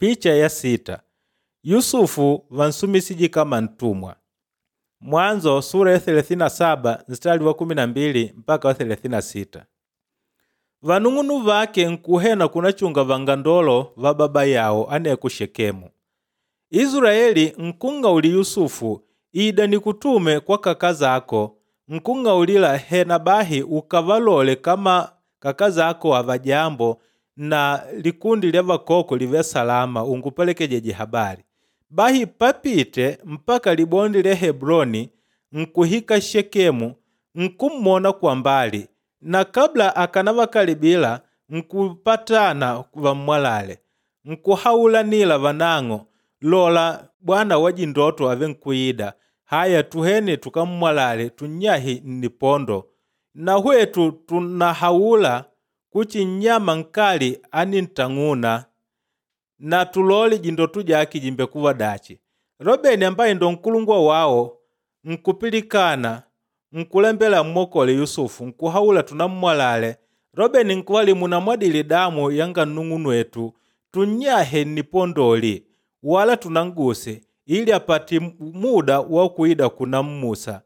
Picha ya 6. Yusufu vansumisije kama ntumwa. Mwanzo sura ya 37 mstari wa 12 mpaka wa 36. Vanung'unu vake nkuhena kunachunga vangandolo va baba yawo aneku Shekemu. Israeli nkung'auli Yusufu ida nikutume kwa kaka zako, nkung'aulila hena bahi ukavalole kama kaka zako avajambo na likundi lya vakoko live salama ungupelekejeje habari. Bahi papite mpaka libondi lya Hebroni nkuhika Shekemu nkummona kwa mbali na kabla akanavakalibila nkupatana vammwalale nkuhaulanila vanang'o lola bwana wa jindoto ave nkuida haya tuhene tukammwalale tunnyahi nnipondo na hwetu tunahaula kuchi nnyama nkali anintang'una na tulole jindoto jake jimbekuva dachi. Robeni ambaye ndo nkulungwa wawo nkupilikana nkulembela mmokole Yusufu nkuhaula tunammwalale. Robeni nkuwali munamwadile damu yanga nnung'unwetu tunnyahe nnipondoli wala tunanguse ili apate muda wa kuida kunammusa.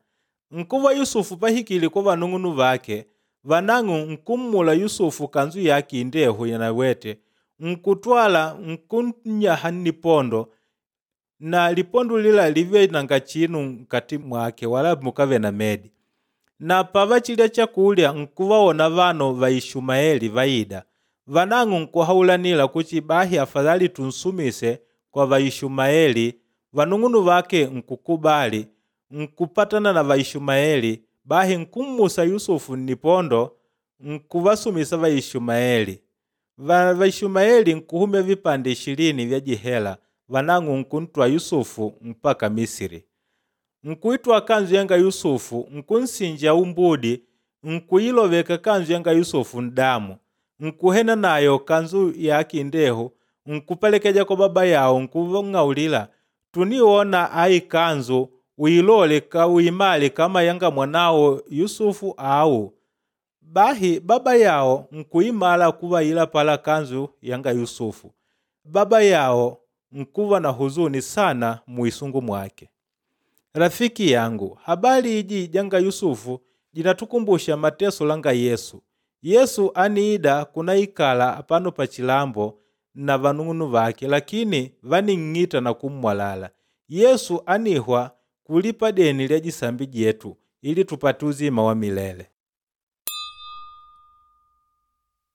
Nkuva Yusufu pahikile kwa vanung'unu vake vanang'u nkummula Yusufu kanzu yake indehu yanawete nkutwala nkunnyaha nnipondo na lipondo lila live nanga chinu nkati mwake wala mukave na medi. Na pavachilya chakulya nkuvaona vano va Ishumaeli vaida. Vanang'u nkuhaulanila kuchi bahi afadhali tunsumise kwa Vaishumaeli. Vanung'unu vake nkukubali nkupatana na Vaishumaeli bahi nkummusa Yusufu nnipondo nkuvasumisa Vaishumaeli. Vaishumaeli nkuhumya vipande 20 vya jihela vanang'u nkuntwa Yusufu mpaka Misiri. Nkuitwa kanzu yanga Yusufu nkunsinja umbudi nkuiloveka kanzu yanga Yusufu ndamu nkuhena nayo kanzu yake indehu nkupelekeja kwa baba yawo nkuvang'aulila tuniona ayi kanzu uilole ka uimale kama yanga mwanawo Yusufu au. Bahi baba yawo nkuimala kuva pala kanzu yanga Yusufu. Baba yawo nkuva na huzuni sana muisungu mwake. Rafiki yangu, habari iji janga Yusufu jinatukumbusha mateso langa Yesu. Yesu aniida kunaikala pano pa chilambo na vanung'unu vake lakini vaning'ita na kummwalala. Yesu anihwa kulipa deni lya jisambi jetu ili tupate uzima wa milele.